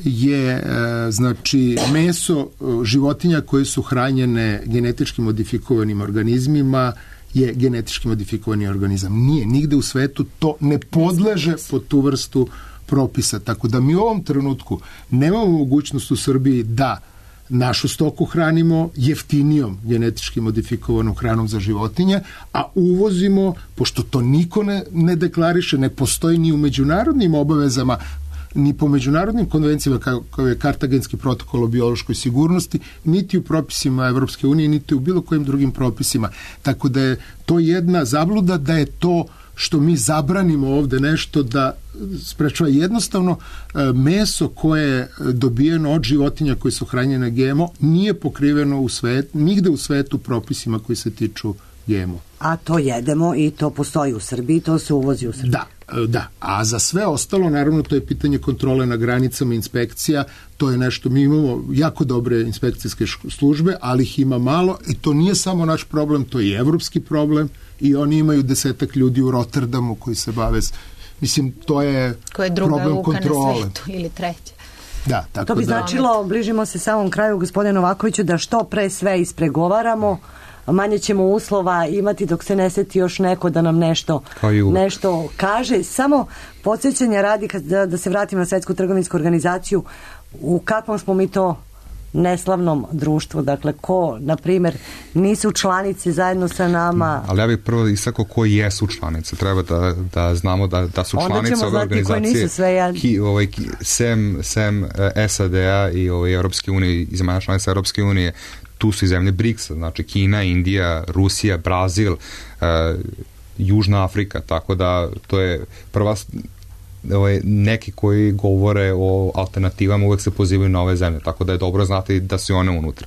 je znači meso životinja koje su hranjene genetički modifikovanim organizmima je genetički modifikovani organizam. Nije, nigde u svetu to ne podleže pod tu vrstu propisa. Tako da mi u ovom trenutku nemamo mogućnost u Srbiji da našu stoku hranimo jeftinijom genetički modifikovanom hranom za životinje, a uvozimo, pošto to niko ne deklariše, ne postoji ni u međunarodnim obavezama, ni po međunarodnim konvencijama kao je Kartagenski protokol o biološkoj sigurnosti, niti u propisima Evropske unije, niti u bilo kojim drugim propisima. Tako da je to jedna zabluda da je to što mi zabranimo ovde nešto da sprečava. Jednostavno meso koje je dobijeno od životinja koje su hranjene GMO nije pokriveno nigde u svetu propisima koji se tiču GMO. A to jedemo i to postoji u Srbiji, to se uvozi u Srbiji. Da, a za sve ostalo, naravno, to je pitanje kontrole na granicama, inspekcija, to je nešto, mi imamo jako dobre inspekcijske službe, ali ih ima malo i to nije samo naš problem, to je i evropski problem i oni imaju 10 ljudi u Rotterdamu koji se bave, mislim, to je problem kontrole. Koja je druga uka na svetu ili treća. Da, tako to bi značilo, bližimo se samom kraju, gospodine Novakoviću, da što pre sve ispregovaramo, manje ćemo uslova imati dok se ne seti još neko da nam nešto kaže. Samo podsjećanja radi, da se vratimo na Svetsku trgovinsku organizaciju, u kakvom smo mi to neslavnom društvu, dakle ko, na primjer, nisu članice zajedno sa nama. Ali ja bih prvo istakao koji jesu članice. Treba da znamo da su članice ove organizacije sem SAD-a i Europske unije i zemalja članica Europske unije. Tu su i zemlje BRICS-a, znači Kina, Indija, Rusija, Brazil, Južna Afrika, tako da to je prva, neki koji govore o alternativama uvek se pozivaju na ove zemlje, tako da je dobro znati da su one unutra.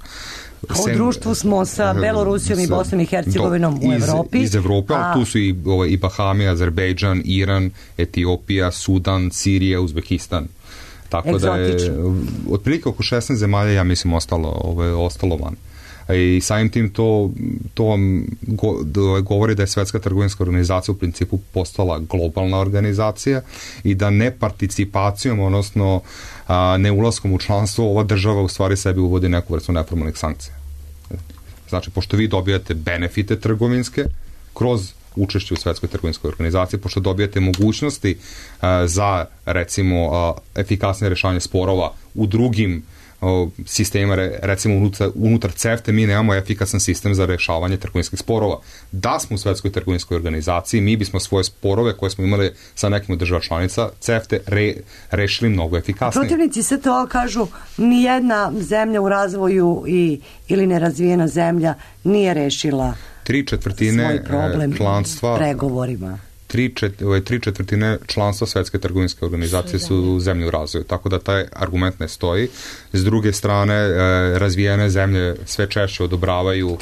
U društvu smo sa Belorusijom i Bosnom i Hercegovinom u Evropi. Iz Evrope, ali tu su i Bahami, Azerbejdžan, Iran, Etiopija, Sudan, Sirija, Uzbekistan. Tako da je otprilike oko 16 zemalja, ja mislim, ostalo van. I samim tim to govori da je Svetska trgovinska organizacija u principu postala globalna organizacija i da ne participacijom, odnosno ne ulaskom u članstvo, ova država u stvari sebi uvodi neku vrstu neformalnih sankcija. Znači, pošto vi dobijate benefite trgovinske kroz učešće u Svetskoj trgovinskoj organizaciji, pošto dobijate mogućnosti za, recimo, efikasnije rešavanje sporova u drugim sistema, recimo unutar CEFTA mi nemamo efikasan sistem za rešavanje trgovinskih sporova. Da smo u Svetskoj trgovinskoj organizaciji, mi bismo svoje sporove koje smo imali sa nekim od država članica CEFTA rešili mnogo efikasnije. Protivnici sve to kažu, nijedna zemlja u razvoju ili nerazvijena zemlja nije rešila svoj problem pregovorima. 3/4 članstva Svetske trgovinske organizacije su zemlje u razvoju, tako da taj argument ne stoji. S druge strane, razvijene zemlje sve češće odobravaju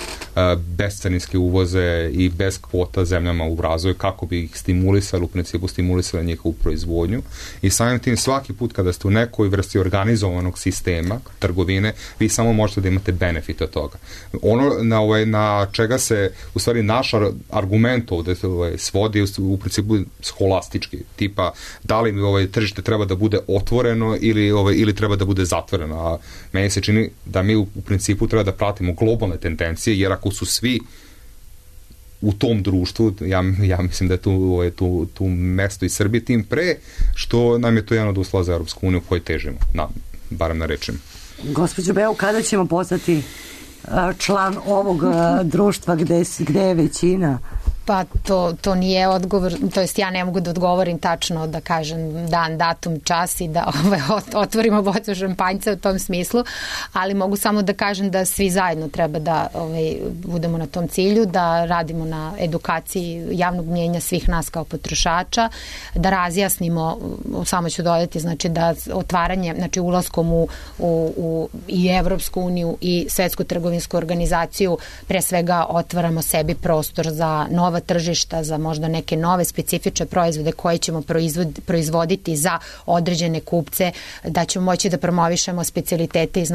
bescarinske uvoze i bez kvota zemljama u razvoju kako bi ih stimulisali, u principu stimulisali njihovu proizvodnju. I samim tim svaki put kada ste u nekoj vrsti organizovanog sistema trgovine, vi samo možete da imate benefit od toga. Ono na čega se u stvari naš argument ovde svodi u principu scholastički, tipa da li mi tržište treba da bude otvoreno ili treba da bude zatvoreno, a meni se čini da mi u principu treba da pratimo globalne tendencije, jer ako su svi u tom društvu, ja mislim da je tu mesto i Srbije, tim pre što nam je to jedan od uslova za Europsku uniju koji težimo, barem na rečima. Gospođo Beo, kada ćemo postati član ovog društva gde je većina? Pa to nije odgovor, to jest ja ne mogu da odgovorim tačno, da kažem dan, datum, čas i da otvorimo bocu šampanjca u tom smislu, ali mogu samo da kažem da svi zajedno treba da budemo na tom cilju, da radimo na edukaciji javnog mnjenja svih nas kao potrošača, da razjasnimo, samo ću dodati, znači da otvaranje, znači ulaskom u i Evropsku uniju i Svetsku trgovinsku organizaciju, pre svega otvaramo sebi prostor za nova tržišta, za možda neke nove specifične proizvode koje ćemo proizvoditi za određene kupce, da ćemo moći da promovišemo specijalitete iz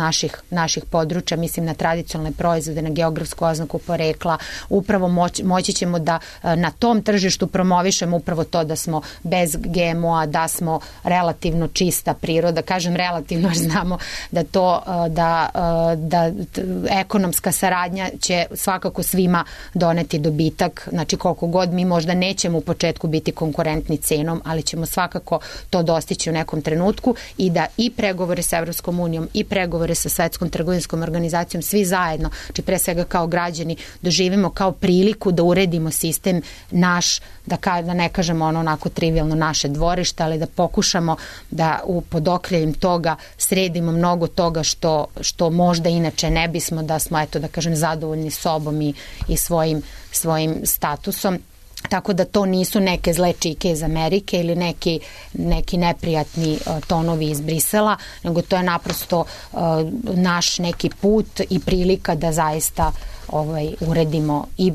naših područja, mislim na tradicionalne proizvode, na geografsku oznaku porekla, upravo moći ćemo da na tom tržištu promovišemo upravo to da smo bez GMO-a, da smo relativno čista priroda, kažem relativno jer znamo da to, da ekonomska saradnja će svakako svima doneti dobitak, znači koliko god mi možda nećemo u početku biti konkurentni cenom, ali ćemo svakako to dostići u nekom trenutku i da i pregovore sa Evropskom unijom i pregovore sa Svetskom trgovinskom organizacijom svi zajedno, znači pre svega kao građani, doživimo kao priliku da uredimo sistem naš, da ne kažemo onako trivialno naše dvorište, ali da pokušamo da pod okriljem toga sredimo mnogo toga što možda inače ne bismo, da smo, eto da kažem, zadovoljni sobom i svojim statusom. Tako da to nisu neke zle čike iz Amerike ili neki neprijatni tonovi iz Brisela, nego to je naprosto naš neki put i prilika da zaista uredimo i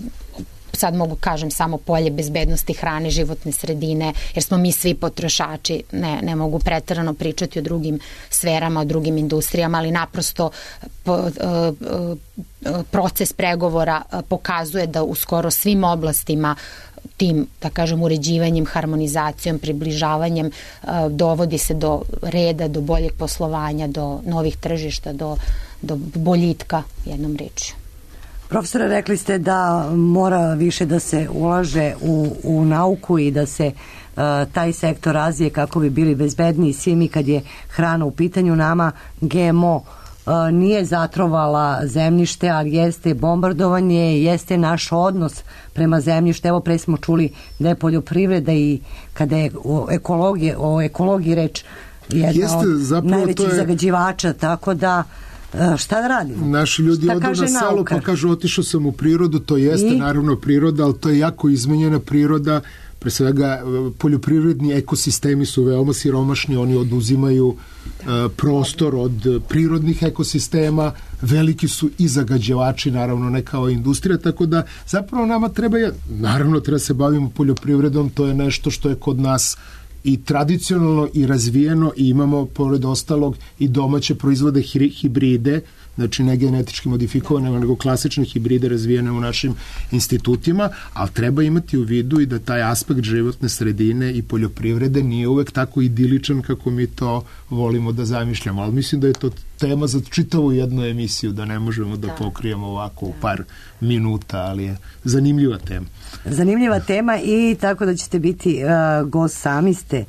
sad mogu kažem samo polje bezbednosti hrane, životne sredine, jer smo mi svi potrošači, ne mogu preterano pričati o drugim sferama, o drugim industrijama, ali naprosto proces pregovora pokazuje da u skoro svim oblastima tim, da kažem, uređivanjem, harmonizacijom, približavanjem dovodi se do reda, do boljeg poslovanja, do novih tržišta, do boljitka, jednom rečju. Profesore, rekli ste da mora više da se ulaže u nauku i da se taj sektor razvije kako bi bili bezbedniji svi mi kad je hrana u pitanju. Nama GMO nije zatrovala zemljište, ali jeste bombardovanje, jeste naš odnos prema zemljištu. Evo pre smo čuli da je poljoprivreda i kada je o ekologiji reč jedna od najvećih zagađivača, tako da šta da radimo? Naši ljudi odu na selo pa kažu otišao sam u prirodu, to jeste naravno priroda, ali to je jako izmenjena priroda, pre svega poljoprivredni ekosistemi su veoma siromašni, oni oduzimaju prostor od prirodnih ekosistema, veliki su i zagađivači, naravno ne kao industrija, tako da zapravo nama treba se bavimo poljoprivredom, to je nešto što je kod nas i tradicionalno i razvijeno i imamo pored ostalog i domaće proizvode hibride, znači ne genetički modifikovane, nego klasične hibride razvijene u našim institutima, ali treba imati u vidu i da taj aspekt životne sredine i poljoprivrede nije uvek tako idiličan kako mi to volimo da zamišljamo, ali mislim da je to tema za čitavu jednu emisiju, da ne možemo da pokrijemo ovako u par minuta, ali je zanimljiva tema. Zanimljiva tema i tako da ćete biti gost, sami ste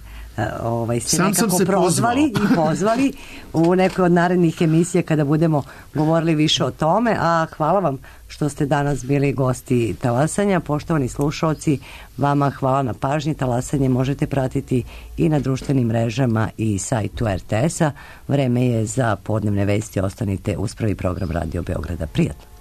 se nekako prozvali i pozvali u nekoj od narednih emisija kada budemo govorili više o tome, a hvala vam što ste danas bili gosti Talasanja. Poštovani slušaoci, vama hvala na pažnji. Talasanje možete pratiti i na društvenim mrežama i sajtu RTS-a. Vreme je za podnevne vesti. Ostanite uz prvi program Radio Beograda. Prijatno.